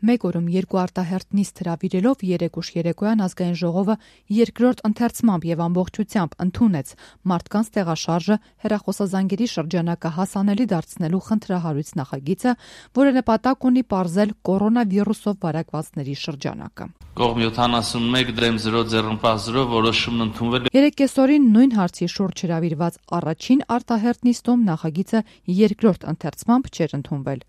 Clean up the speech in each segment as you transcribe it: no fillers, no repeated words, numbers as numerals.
Մեկ օրում 2 արտահերթ նիստ հրավիրելով 3 ուշ երեկոյան ազգային ժողովը երկրորդ ընթերցմամբ եւ ամբողջությամբ ընդունեց մարդկանց տեղաշարժը հեռախոսազանգերի շրջանակը հասանելի դարձնելու խնդրահարույց նախագիծը, որը նպատակ ունի պարզել կորոնավիրուսով վարակվածների շրջանակը։ Կողմ 71 դեմ 0 ձեռնպահ 0 որոշումն ընդունվել է։ 3 կեսօրին նույն հարցի շուրջ հրավիրված առաջին արտահերթ նիստում նախագիծը երկրորդ ընթերցմամբ չէր ընդունվել։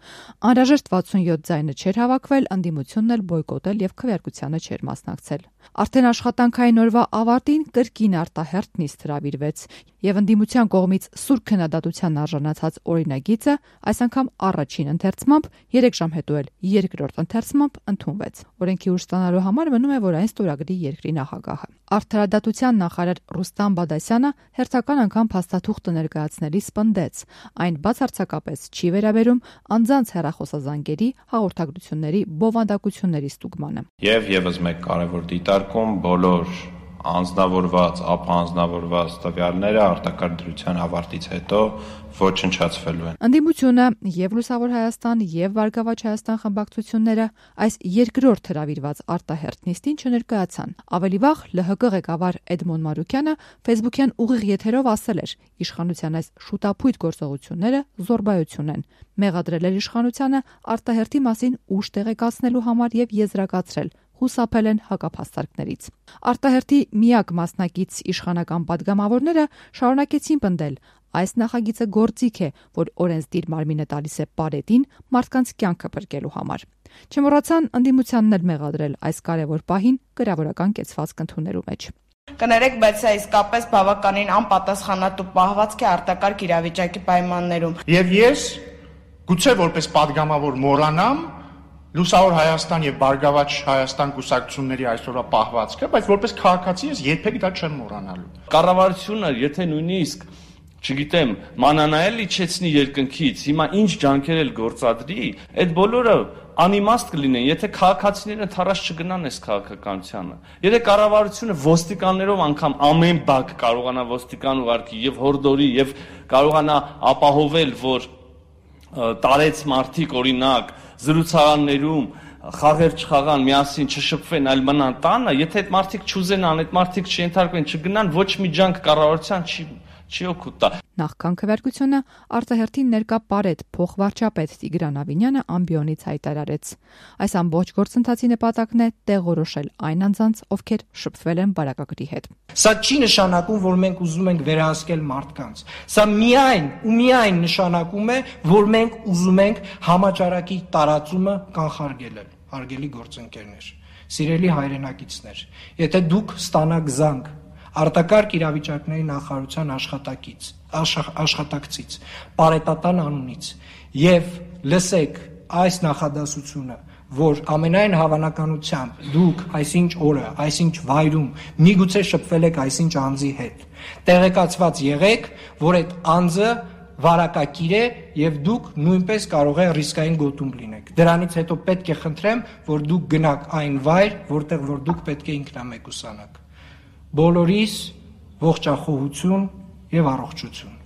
Անհրաժեշտ 67 ձայնը չէր հավաքվել, ընդդիմությունն էլ բոյկոտել եւ քվեարկությանը չէր մասնակցել։ Արդեն աշխատանքային օրվա ավարտին կրկին արտահերթ նիստ հրավիրվեց եւ ընդդիմության կողմից սուր քննադատության արժանացած օրինագիծը այս անգամ առաջին ընթերցմամբ 3 ժամ հետո էլ երկրորդ ընթերցմամբ ընդունվեց։ Օրենքի ուժ ստանալու համար մնում է, որ այն ստորագրի երկրի նախագահը։ Արդարադատության նախարար Ռուստամ Բադասյանը հերթական անգամ փաստաթուղթը ներկայացնելիս պնդեց, այն բացարձակապես չի վերաբերում անձանց հեռախոսազանգերի հաղորդագրությունների բովանդակությունների ստուգմանը։ Եվ եւս մեկ կարևոր դիտարկում բոլոր անձնավորված, ապանձնավորված տվյալները արտակարգ դրության ավարտից հետո ոչնչացվելու են։ Ընդդիմությունը եւ Լուսավոր Հայաստան եւ Վարգավաճ Հայաստան խմբակցությունները այս երկրորդ հրավիրված արտահերթ նիստին չներկայացան։ Ավելի վաղ ԼՀԿ ղեկավար Էդմոն Մարուկյանը Facebook-յան ուղիղ եթերով ասել էր. իշխանության այս շուտափույթ գործողությունները զոռբայություն են։ Մեղադրել էր իշխանությանը արտահերթի մասին ուժ տեղեկացնելու համար եւ եզրակացրել. հուսափել են հակափաստարկներից։ Արտահերթի միակ մասնակից իշխանական падգամավորները շարունակեցին պնդել. այս նախագիծը գործիք է, որ օրենսդիր մարմինը տալիս է պարետին մարդկանց կյանքը փրկելու համար։ Չմոռացան ընդդիմությանն էլ մեղադրել այս կարևոր պահին գրավորական կեցվածք ընդունելու մեջ։ Կներեք, բայց սա իսկապես բավականին անպատասխանատու պահվածք է արտակարգ իրավիճակի պայմաններում։ Եվ ես գուցե որպես падգամավոր մոռանամ Լուսավոր Հայաստան եւ Բարգավաճ Հայաստան կուսակցությունների այսօրվա պահվածքը, բայց որպես քաղաքացի ես երբեք դա չեմ մոռանալու։ Կառավարությունը, եթե նույնիսկ, չգիտեմ, մանանայել իջեցնի երկնքից, հիմա ինչ ջանքեր էլ գործադրի, այդ բոլորը անիմաստ կլինեն, եթե քաղաքացիները թարաշ չգնան այս քաղաքականությանը։ Եթե կառավարությունը ոստիկաններով անգամ ամեն բակ կարողանա ոստիկան ուղարկի եւ հորդորի եւ կարողանա ապահովել, որ տարեց մարդիկ օրինակ զրուցարաններում խաղեր չխաղան, միասին չշփվեն, այլ մնան տանը, եթե այդ մարդիկ չուզենան, այդ մարդիկ չենթարկվեն, չգնան, ոչ մի ջանք կառավարության չի օգուտ տա։ Նախքան քվեարկությունը արտահերթին ներկա պարետ փոխվարչապետ Տիգրան Ավինյանը ամբիոնից հայտարարեց. այս ամբողջ գործընթացի նպատակն է տեղորոշել այն անձանց, ովքեր շփվել են բարակագրի հետ։ Սա չի նշանակում, որ մենք ուզում ենք վերահսկել մարդկանց։ Սա միայն ու միայն նշանակում է, որ մենք ուզում ենք համաճարակի տարածումը կանխարգելել, հարգելի գործընկերներ, սիրելի հայրենակիցներ, եթե դուք ստանաք զանգ արտակարգ իրավիճակների նախարարության աշխատակցից, պարետատան անունից եւ լսեք այս նախադասությունը, որ ամենայն հավանականությամբ դուք այսինչ օրը, այսինչ վայրում միգուցե շփվել եք այսինչ անձի հետ, տեղեկացված եղեք, որ այդ անձը վարակակիր է եւ դուք նույնպես կարող է ռիսկային գոտում լինեք։ Դրանից հետո պետք է խնդրեմ, որ դուք գնաք այն վայր, որտեղ որ դուք պետք է ինքնամեկուսանաք։ Բոլորիս ողջախոհություն եւ առողջություն։